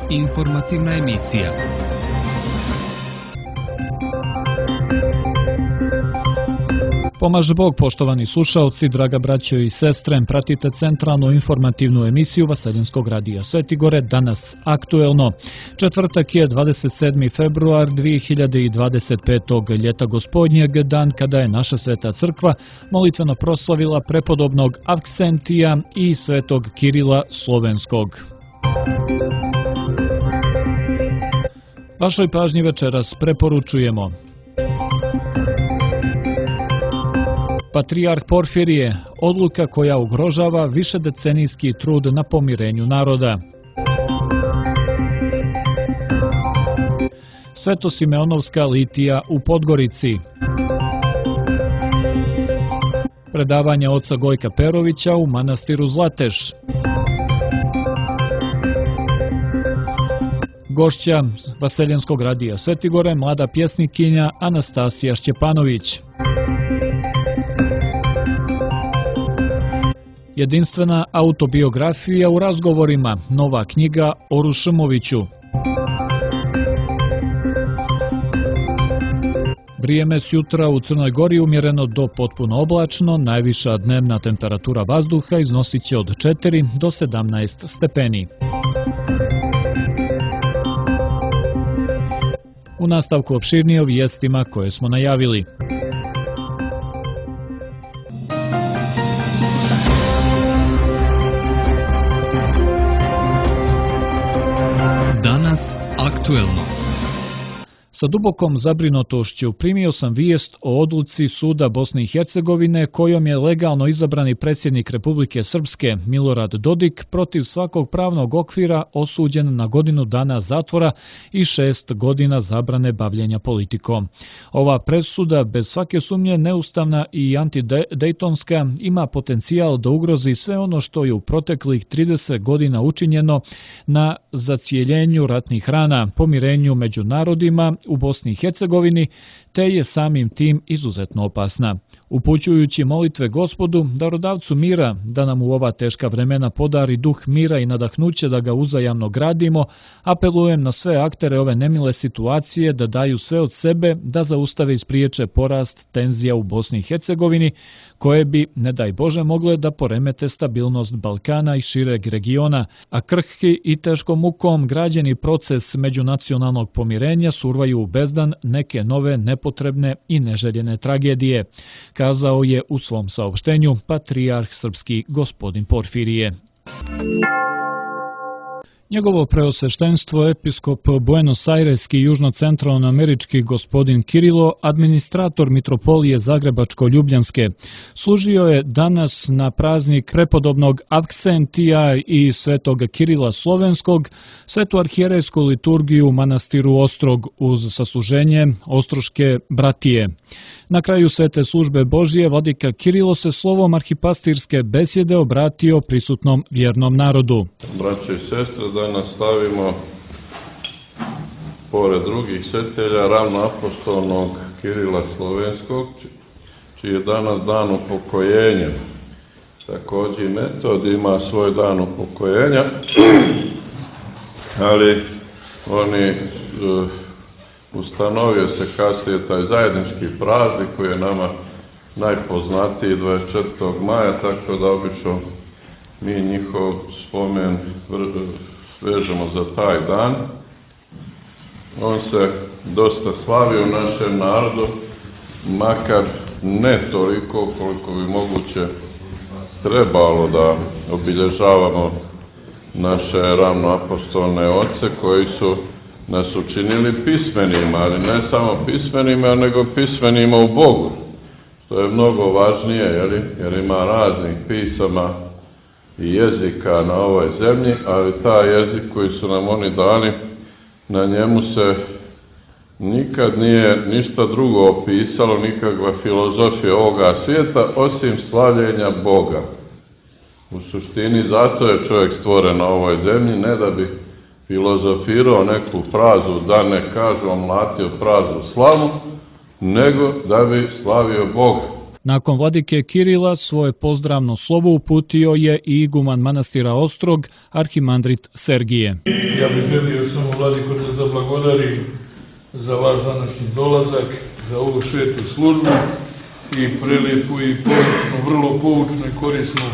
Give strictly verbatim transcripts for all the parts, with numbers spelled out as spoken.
Informativna emisija. Pomaže Bog, poštovani slušaoci, draga braćo i sestre, pratite centralnu informativnu emisiju Vaseljenskog radija Sveti Gore, danas aktuelno. Četvrtak je dvadeset sedmi februar dvije hiljade dvadeset petog ljeta gospodnjeg, dan kada je naša Sveta Crkva molitveno proslavila prepodobnog Avksentija i svetog Kirila Slovenskog. Vašoj pažnji večeras preporučujemo: Patrijarh Porfirije, odluka koja ugrožava višedecenijski trud na pomirenju naroda. Sveto-Simeonovska litija u Podgorici. Predavanje oca Gojka Perovića u manastiru Zlateš. Gošća Vaseljenskog radija Sveti Gore, mlada pjesnikinja Anastasija Šćepanović. Jedinstvena autobiografija u razgovorima, nova knjiga o Rušmoviću. Vrijeme s jutra u Crnoj Gori umjereno do potpuno oblačno, najviša dnevna temperatura vazduha iznosit će od četiri do sedamnaest stepeni. U nastavku opširnije o vijestima koje smo najavili. Danas aktuelno. Sa dubokom zabrinutošću primio sam vijest o odluci suda Bosne i Hercegovine kojom je legalno izabrani predsjednik Republike Srpske Milorad Dodik protiv svakog pravnog okvira osuđen na godinu dana zatvora i šest godina zabrane bavljenja politikom. Ova presuda, bez svake sumnje neustavna i antidejtonska, ima potencijal da ugrozi sve ono što je u proteklih trideset godina učinjeno na zacijeljenju ratnih rana, pomirenju među narodima u Bosni i Hercegovini, te je samim tim izuzetno opasna. Upućujući molitve Gospodu, darodavcu mira, da nam u ova teška vremena podari duh mira i nadahnuće da ga uzajamno gradimo, apelujem na sve aktere ove nemile situacije da daju sve od sebe da zaustave i spriječe porast tenzija u Bosni i Hercegovini, koje bi, ne daj Bože, mogle da poremete stabilnost Balkana i šireg regiona, a krhki i teškom mukom građeni proces međunacionalnog pomirenja survaju u bezdan neke nove nepotrebne i neželjene tragedije, kazao je u svom saopštenju patrijarh srpski gospodin Porfirije. Njegovo preosveštenstvo episkop Buenos Aireski južno-centralnoamerički gospodin Kirilo, administrator mitropolije Zagrebačko-Ljubljanske, služio je danas na praznik prepodobnog Avksentija i svetog Kirila Slovenskog svetu arhijerejsku liturgiju u manastiru Ostrog uz sasluženje Ostroške bratije. Na kraju svete službe Božije, vladika Kirilo se slovom arhipastirske besjede obratio prisutnom vjernom narodu. Braće i sestre, da nastavimo pored drugih svetelja ravnoapostolnog Kirila Slovenskog, čiji je danas dan upokojenja. Također Metod ima svoj dan upokojenja, ali oni ustanovio se kasnije taj zajednički praznik koji je nama najpoznatiji dvadeset četvrtog maja, tako da obično mi njihov spomen vežemo za taj dan. On se dosta slavi u našem narodu, makar ne toliko koliko bi moguće trebalo da obilježavamo naše ravnoapostolne oce koji su nas učinili pismenima, ali ne samo pismenima, nego pismenima u Bogu. To je mnogo važnije, jer, jer ima raznih pisama i jezika na ovoj zemlji, ali taj jezik koji su nam oni dali, na njemu se nikad nije ništa drugo opisalo, nikakva filozofija ovoga svijeta, osim slavljenja Boga. U suštini, zato je čovjek stvoren na ovoj zemlji, ne da bi filozofirao neku frazu, da ne kažu, omlatio frazu slavu, nego da bi slavio Boga. Nakon vladike Kirila svoje pozdravno slovo uputio je i iguman manastira Ostrog, arhimandrit Sergije. ja bih želio samo Vladiko da zablagodari za vaš današnji dolazak, za ovu svetu službu i prelijepu i poučnu, vrlo poučnu i korisnu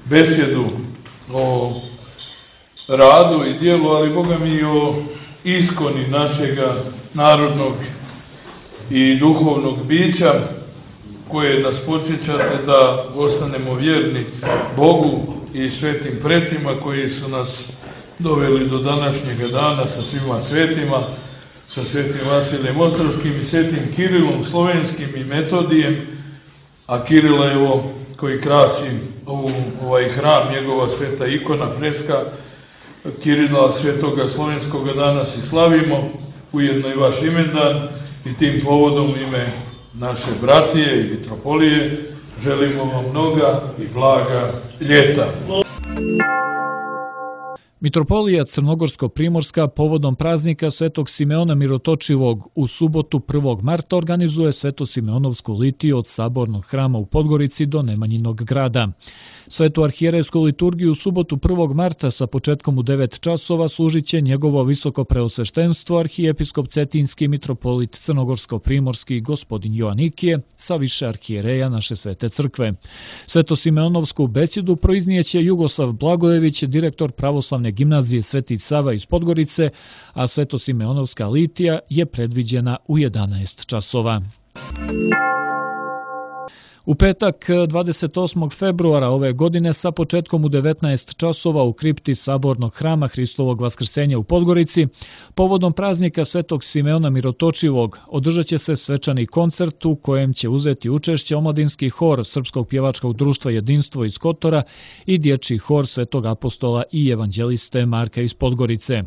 besjedu o radu i dijelu, ali Boga mi o iskoni našega narodnog i duhovnog bića, koje nas podsjećate da ostanemo vjerni Bogu i svetim pretima koji su nas doveli do današnjega dana sa svima svetima, sa svetim Vasilijem Ostrovskim i svetim Kirilom Slovenskim i Metodijem, a Kirila je ovo koji krasi ovu, ovaj hram, njegova sveta ikona, freska Kirila svetoga slovenskoga danas i slavimo, ujedno i vaš imendan, i tim povodom ime naše bratije i mitropolije želimo vam mnoga i blaga ljeta. Mitropolija Crnogorsko-Primorska povodom praznika Svetog Simeona Mirotočivog u subotu prvog marta organizuje Sveto-Simeonovsku litiju od Sabornog hrama u Podgorici do Nemanjinog grada. Svetu arhijerejsku liturgiju u subotu prvog marta sa početkom u devet časova služit će njegovo visoko preosveštenstvo arhijepiskop Cetinski mitropolit Crnogorsko-Primorski gospodin Joanikije sa više arhijereja naše svete crkve. Sveto-Simeonovsku besjedu proiznijeće Jugoslav Blagojević, direktor pravoslavne gimnazije Sveti Sava iz Podgorice, a Sveto-Simeonovska litija je predviđena u jedanaest časova. U petak dvadeset osmog februara ove godine sa početkom u devetnaest časova u kripti Sabornog hrama Hristovog Vaskrsenja u Podgorici, povodom praznika Svetog Simeona Mirotočivog, održat će se svečani koncert u kojem će uzeti učešće omladinski hor Srpskog pjevačkog društva Jedinstvo iz Kotora i dječji hor Svetog apostola i evanđeliste Marka iz Podgorice.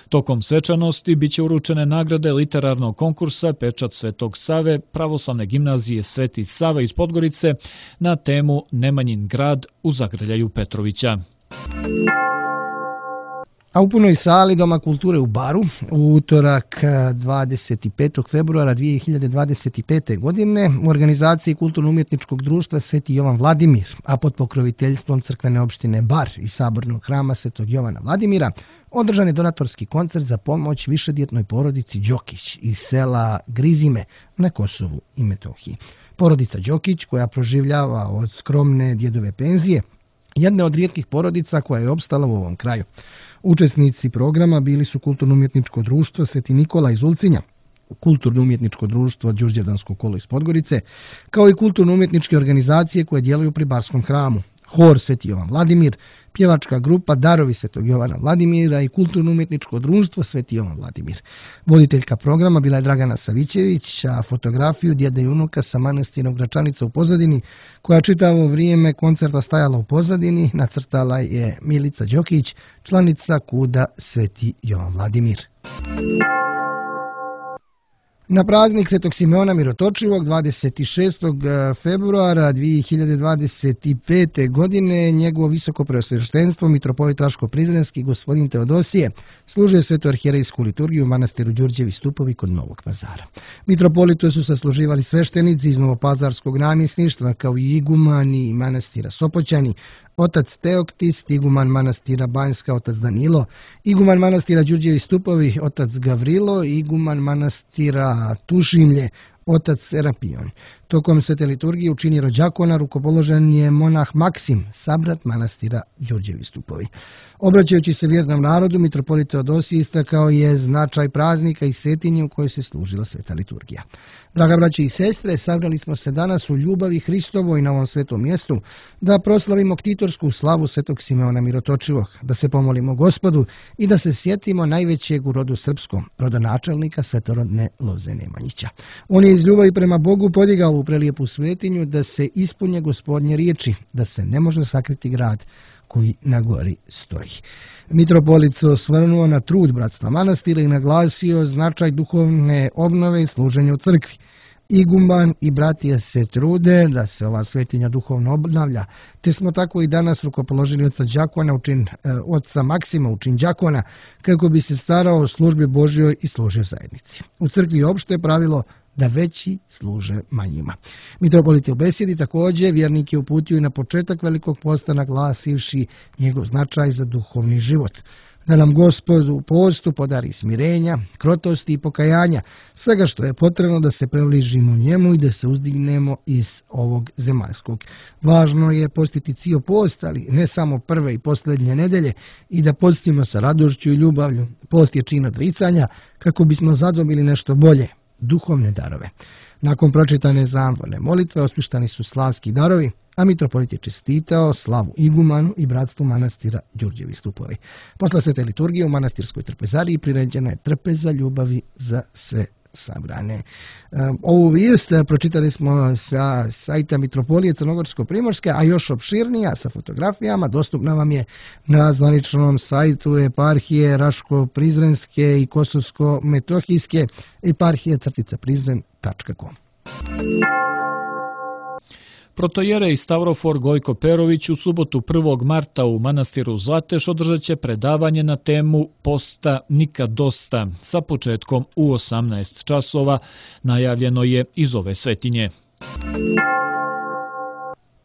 Tokom svečanosti biće uručene nagrade literarnog konkursa Pečat Svetog Save pravoslavne gimnazije Sveti Sava iz Podgorice na temu Nemanjin grad u Zagrljaju Petrovića. A u punoj sali Doma kulture u Baru u utorak dvadeset petog februara dvije hiljade dvadeset pete. godine u organizaciji Kulturno-umjetničkog društva Sveti Jovan Vladimir, a pod pokroviteljstvom crkvene opštine Bar i Sabornog hrama Svetog Jovana Vladimira, održan je donatorski koncert za pomoć višedjetnoj porodici Đokić iz sela Grizime na Kosovu i Metohiji. Porodica Đokić, koja proživljava od skromne djedove penzije, jedna od rijetkih porodica koja je opstala u ovom kraju. Učesnici programa bili su Kulturno-umjetničko društvo Sveti Nikola iz Ulcinja, Kulturno-umjetničko društvo Đurđevdansko kolo iz Podgorice, kao i kulturno-umjetničke organizacije koje djeluju pri Barskom hramu, hor Sveti Jovan Vladimir, pjevačka grupa Darovi Svetog Jovana Vladimira i Kulturno-umjetničko društvo Sveti Jovan Vladimir. Voditeljka programa bila je Dragana Savićević, a fotografiju djede i unuka sa manastira Gračanica u pozadini, koja čitavo vrijeme koncerta stajala u pozadini, nacrtala je Milica Đokić, članica Kuda Sveti Jovan Vladimir. Na praznik Svetog Simeona Mirotočivog dvadeset šestog februara dvije hiljade dvadeset pete. godine njegovo visoko preosveštenstvo mitropolit Raško-Prizrenski gospodin Teodosije služio svetu arhijerejsku liturgiju u manastiru Đurđevi Stupovi kod Novog Pazara. Mitropolitu su sasluživali sveštenici iz Novopazarskog namjesništva kao i igumani manastira Sopoćani, otac Teoktis, iguman manastira Banjska, otac Danilo, iguman manastira Đurđevi Stupovi, otac Gavrilo, iguman manastira Tušimlje, otac Serapion. Tokom svete liturgije u čini rođakona rukopoložen je monah Maksim, sabrat manastira Đurđevi Stupovi. Obraćajući se vjernom narodu, mitropolit Teodosije istakao je značaj praznika i svetinje u kojoj se služila sveta liturgija. Draga braće i sestre, sabrali smo se danas u ljubavi Hristovoj na ovom svetom mjestu da proslavimo ktitorsku slavu Svetog Simeona Mirotočivog, da se pomolimo Gospodu i da se sjetimo najvećeg u rodu srpskom, rodonačelnika svetorodne Loze Nemanjića. On je iz ljubavi prema Bogu podigao u prelijepu svetinju da se ispunje Gospodnje riječi, da se ne može sakriti grad koji na gori stoji. Mitropolit se osvrnuo na trud bratstva manastira i naglasio značaj duhovne obnove i služenja u crkvi. Iguman i bratije se trude da se ova svetinja duhovno obnavlja, te smo tako i danas rukopoložili oca đakona, učin, oca Maksima, učin đakona, kako bi se starao o službi Božjoj i služio zajednici. U crkvi opšte je pravilo da veći služe manjima. Mitropolit je u besjedi također vjernike uputio i na početak Velikog posta naglasivši njegov značaj za duhovni život. da nam Gospod u postu podari smirenja, krotosti i pokajanja, svega što je potrebno da se približimo njemu i da se uzdignemo iz ovog zemaljskog. Važno je postiti cijel post, ali ne samo prve i posljednje nedelje, i da postimo sa radošću i ljubavlju. Post je čin odricanja kako bismo zadobili nešto bolje, duhovne darove. Nakon pročitane zamorne molitve osvištani su slavski darovi, a mitropolit je čestitao slavu igumanu i bratstvu manastira Đurđevi stupovi. Posle svete liturgije u manastirskoj trpezariji priređena je trpeza ljubavi za sve sabrane. Ovu vijest pročitali smo sa sajta Mitropolije Crnogorsko-Primorske, a još opširnija sa fotografijama dostupna vam je na zvaničnom sajtu eparhije Raško-Prizrenske i Kosovsko-Metohijske eparhije crtica prizren tačka com. Protojerej Stavrofor Gojko Perović u subotu prvog marta u manastiru Zlateš održat će predavanje na temu Posta nikad dosta sa početkom u osamnaest časova, najavljeno je iz ove svetinje.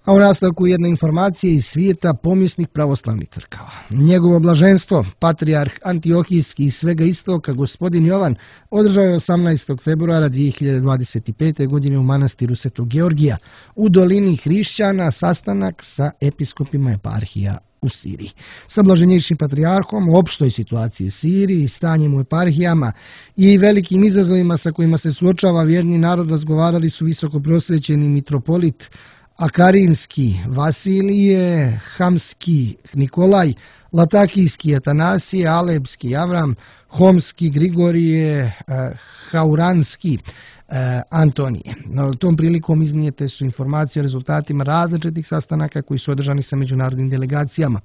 A u nastavku jedna informacija iz svijeta pomjesnih pravoslavnih crkava. Njegovo blaženstvo, patrijarh Antiohijski i svega istoka, gospodin Jovan, održao je osamnaestog februara dvije hiljade dvadeset pete. godine u manastiru Svetog Georgija u dolini Hrišćana sastanak sa episkopima eparhija u Siriji. Sa blaženjejšim patrijarhom u opštoj situaciji Siriji, stanjem u eparhijama i velikim izazovima sa kojima se suočava vjerni narod razgovarali su visoko prosvećeni mitropolit Akarinski Vasilije, Hamski Nikolaj, Latakijski Atanasije, Alebski Avram, Homski Grigorije, Hauranski Antonije. Na tom prilikom iznijete su informacije o rezultatima različitih sastanaka koji su održani sa međunarodnim delegacijama.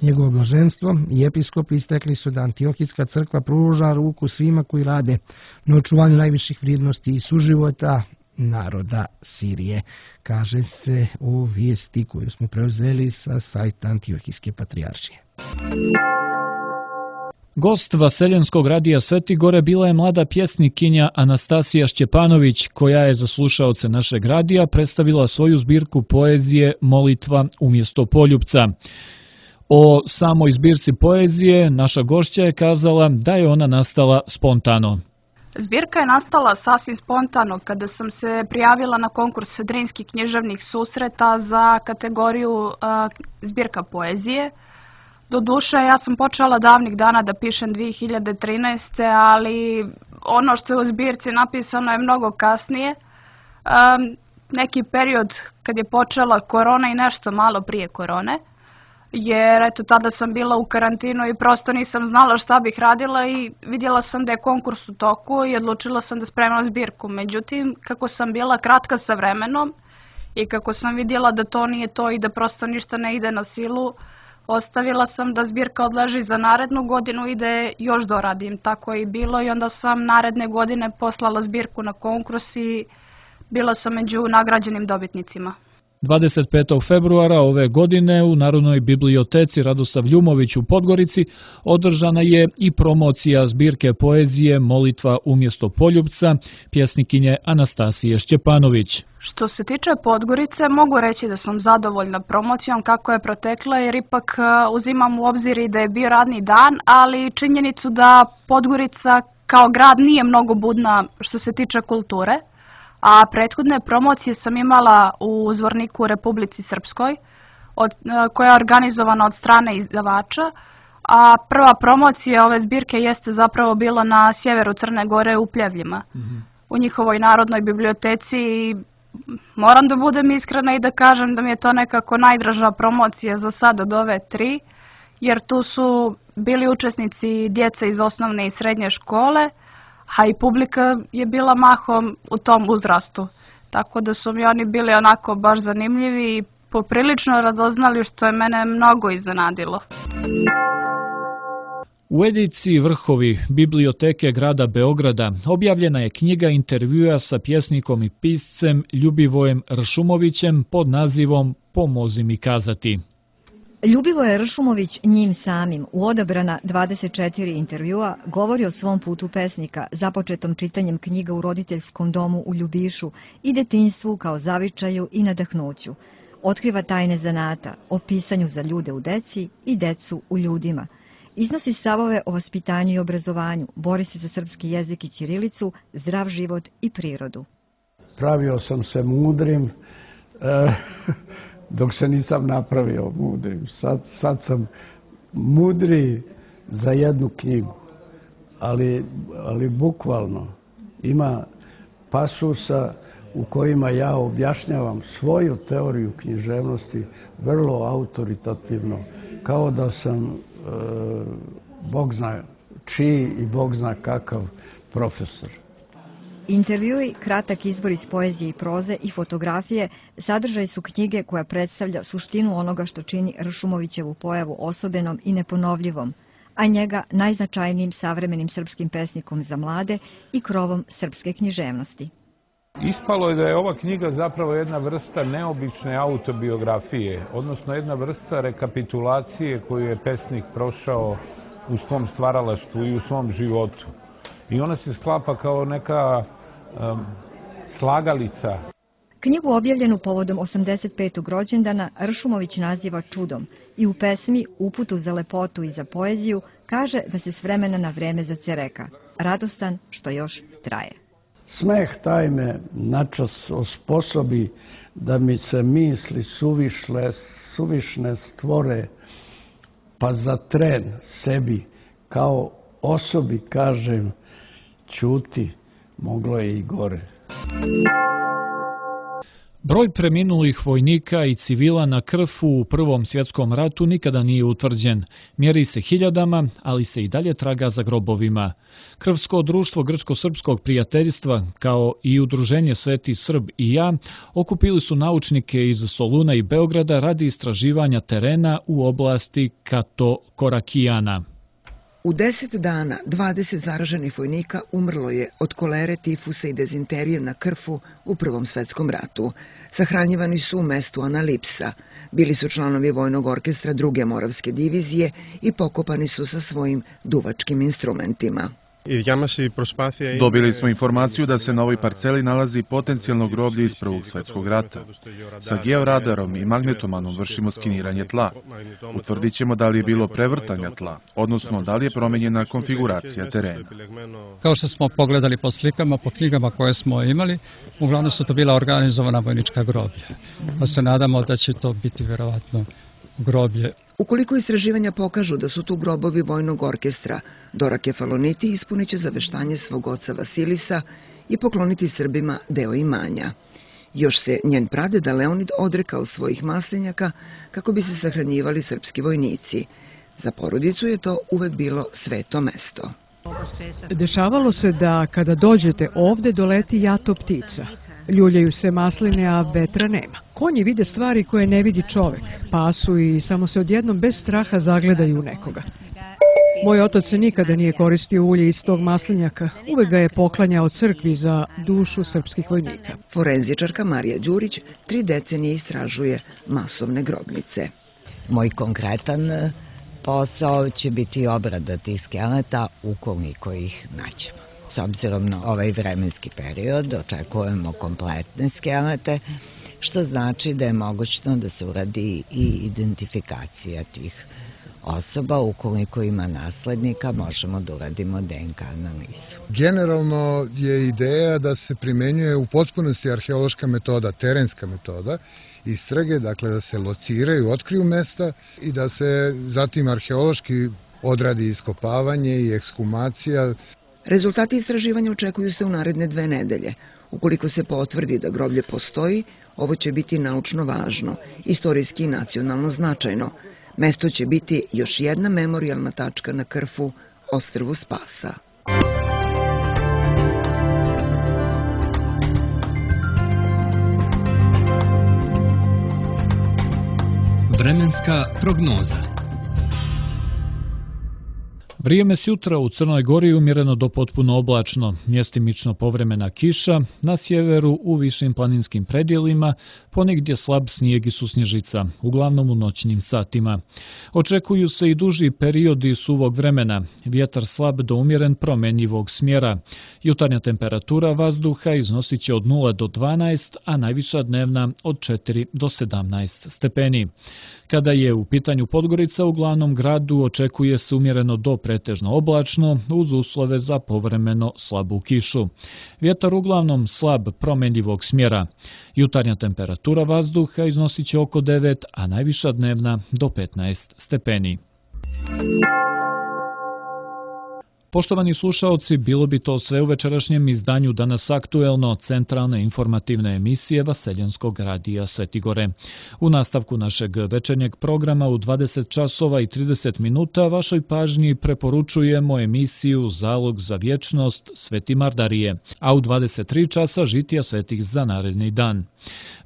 Njegovo blaženstvo i episkopi istekli su da Antiohijska crkva pruža ruku svima koji rade na očuvanju najviših vrijednosti i suživota naroda Sirije, kaže se u vijesti koju smo preuzeli sa sajta Antiohijske patrijaršije. Gost Vaseljenskog radija Svetigore bila je mlada pjesnikinja Anastasija Šćepanović, koja je za slušaoce našeg radija predstavila svoju zbirku poezije Molitva umjesto poljupca. O samoj zbirci poezije naša gošća je kazala da je ona nastala spontano. Zbirka je nastala sasvim spontano kada sam se prijavila na konkurs Drinskih književnih susreta za kategoriju uh, zbirka poezije. Doduše, ja sam počela davnih dana da pišem dvije hiljade trinaeste. ali ono što je u zbirci napisano je mnogo kasnije. Um, neki period kad je počela korona i nešto malo prije korone. Jer eto tada sam bila u karantinu i prosto nisam znala šta bih radila i vidjela sam da je konkurs u toku i odlučila sam da spremam zbirku. Međutim, kako sam bila kratka sa vremenom i kako sam vidjela da to nije to i da prosto ništa ne ide na silu, ostavila sam da zbirka odleži za narednu godinu i da je još doradim. Tako je i bilo i onda sam naredne godine poslala zbirku na konkurs i bila sam među nagrađenim dobitnicima. dvadeset petog februara ove godine u Narodnoj biblioteci Radosav Ljumović u Podgorici održana je i promocija zbirke poezije Molitva umjesto poljupca pjesnikinje Anastasije Šćepanović. Što se tiče Podgorice, mogu reći da sam zadovoljna promocijom kako je protekla, jer ipak uzimam u obzir i da je bio radni dan, ali činjenicu da Podgorica kao grad nije mnogo budna što se tiče kulture. A prethodne promocije sam imala u Zvorniku u Republici Srpskoj, od, koja je organizovana od strane izdavača, a prva promocija ove zbirke jeste zapravo bila na sjeveru Crne Gore u Pljevljima, mm-hmm. u njihovoj Narodnoj biblioteci. Moram da budem iskrena i da kažem da mi je to nekako najdraža promocija za sad od ove tri, jer tu su bili učesnici djeca iz osnovne i srednje škole, a i publika je bila mahom u tom uzrastu. Tako da su mi oni bili onako baš zanimljivi i poprilično radoznali, što je mene mnogo iznenadilo. U ediciji Vrhovi biblioteke grada Beograda objavljena je knjiga intervjua sa pjesnikom i piscem Ljubivojem Ršumovićem pod nazivom Pomozi mi kazati. Ljubivoje Ršumović njim samim u odabrana dvadeset četiri intervjua govori o svom putu pesnika, započetom čitanjem knjiga u roditeljskom domu u Ljubišu i detinjstvu kao zavičaju i nadahnuću. Otkriva tajne zanata, o pisanju za ljude u deci i decu u ljudima. Iznosi stavove o vaspitanju i obrazovanju, bori se za srpski jezik i ćirilicu, zdrav život i prirodu. Pravio sam se mudrim, e, dok se nisam napravio mudrim. Sad, sad sam mudri za jednu knjigu, ali, ali bukvalno ima pasusa u kojima ja objašnjavam svoju teoriju književnosti vrlo autoritativno, kao da sam e, Bog zna čiji i Bog zna kakav profesor. Intervjui, kratak izbor iz poezije i proze i fotografije sadržaj su knjige koja predstavlja suštinu onoga što čini Ršumovićevu pojavu osobenom i neponovljivom, a njega najznačajnijim savremenim srpskim pesnikom za mlade i krovom srpske književnosti. Ispalo je da je ova knjiga zapravo jedna vrsta neobične autobiografije, odnosno jedna vrsta rekapitulacije koju je pesnik prošao u svom stvaralaštvu i u svom životu. I ona se sklapa kao neka um, slagalica. Knjigu objavljenu povodom osamdeset petog rođendana Ršumović naziva čudom i u pesmi Uputu za lepotu i za poeziju kaže da se s vremena na vreme zacereka, radostan što još traje. Smeh taj me načas osposobi da mi se misli suvišle, suvišne stvore, pa za tren sebi kao osobi kažem ćuti, moglo je i gore. Broj preminulih vojnika i civila na Krfu u Prvom svjetskom ratu nikada nije utvrđen. Mjeri se hiljadama, ali se i dalje traga za grobovima. Krvsko društvo Grčko-srpskog prijateljstva, kao i udruženje Sveti Srb i ja, okupili su naučnike iz Soluna i Beograda radi istraživanja terena u oblasti Kato-Korakijana. U deset dana dvadeset zaraženih vojnika umrlo je od kolere, tifusa i dezinterije na Krfu u Prvom svjetskom ratu. Sahranjivani su u mestu Analipsa. Bili su članovi vojnog orkestra druge Moravske divizije i pokopani su sa svojim duvačkim instrumentima. Dobili smo informaciju da se na ovoj parceli nalazi potencijalno groblje iz Prvog svjetskog rata. Sa georadarom i magnetomanom vršimo skeniranje tla. Utvrdit ćemo da li je bilo prevrtanja tla, odnosno da li je promenjena konfiguracija terena. Kao što smo pogledali po slikama, po knjigama koje smo imali, uglavnom su to bila organizovana vojnička groblja. Pa se nadamo da će to biti vjerovatno groblje. Ukoliko istraživanja pokažu da su tu grobovi vojnog orkestra, Dora Kefaloniti ispunit će zaveštanje svog oca Vasilisa i pokloniti Srbima deo imanja. Još se njen pradeda Leonid odrekao svojih maslinjaka kako bi se sahranjivali srpski vojnici. Za porodicu je to uvek bilo sveto mesto. Dešavalo se da kada dođete ovde doleti jato ptica. Ljuljaju se masline, a vetra nema. Konji vide stvari koje ne vidi čovek, pasu i samo se odjednom bez straha zagledaju u nekoga. Moj otac se nikada nije koristio ulje iz tog maslinjaka, uvek ga je poklanjao crkvi za dušu srpskih vojnika. Forenzičarka Marija Đurić tri decenije istražuje masovne grobnice. Moj konkretan posao će biti obrada tih skeleta ukoliko ih nađemo. S obzirom na ovaj vremenski period očekujemo kompletne skelete, što znači da je mogućno da se uradi i identifikacija tih osoba. Ukoliko ima naslednika, možemo da uradimo D N K analizu. Generalno je ideja da se primenjuje u potpunosti arheološka metoda, terenska metoda, istrage, dakle da se lociraju, otkriju mesta i da se zatim arheološki odradi iskopavanje i ekshumacija. Rezultati istraživanja očekuju se u naredne dve nedelje. Ukoliko se potvrdi da groblje postoji, ovo će biti naučno važno, istorijski i nacionalno značajno. Mesto će biti još jedna memorijalna tačka na Krfu, ostrvu Spasa. Vremenska prognoza. Vrijeme s jutra u Crnoj Gori umjereno do potpuno oblačno, mjestimično povremena kiša, na sjeveru u višim planinskim predjelima, ponegdje slab snijeg i susnježica, uglavnom u noćnim satima. Očekuju se i duži periodi suvog vremena, vjetar slab do umjeren promenjivog smjera. Jutarnja temperatura vazduha iznosit će od nula do dvanaest, a najviša dnevna od četiri do sedamnaest stepeni. Kada je u pitanju Podgorica, u glavnom gradu očekuje se umjereno do pretežno oblačno uz uslove za povremeno slabu kišu. Vjetar uglavnom slab promenljivog smjera. Jutarnja temperatura vazduha iznosit će oko devet, a najviša dnevna do petnaest stepeni. Poštovani slušaoci, bilo bi to sve u večerašnjem izdanju Danas aktuelno, centralne informativne emisije Vaseljenskog radija Svetigore. U nastavku našeg večernjeg programa u dvadeset časova i trideset minuta vašoj pažnji preporučujemo emisiju Zalog za vječnost Sveti Mardarije, a u dvadeset tri časa žitija svetih za naredni dan.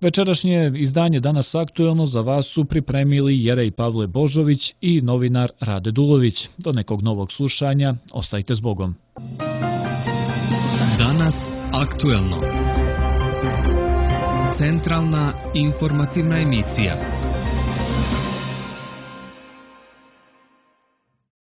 Večerašnje izdanje Danas aktuelno za vas su pripremili Jerej Pavle Božović i novinar Rade Dulović. Do nekog novog slušanja, ostajte s Bogom. Danas aktuelno. Centralna informativna emisija.